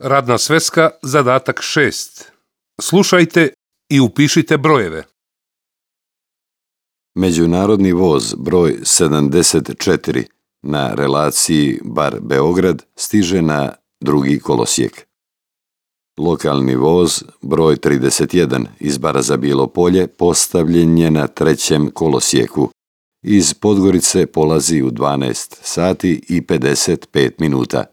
Radna sveska, zadatak 6. Slušajte i upišite brojeve. Međunarodni voz broj 74 na relaciji Bar-Beograd stiže na drugi kolosijek. Lokalni voz broj 31 iz Bara za Bilo Polje postavljen je na trećem kolosijeku. Iz Podgorice polazi u 12 sati i 55 minuta.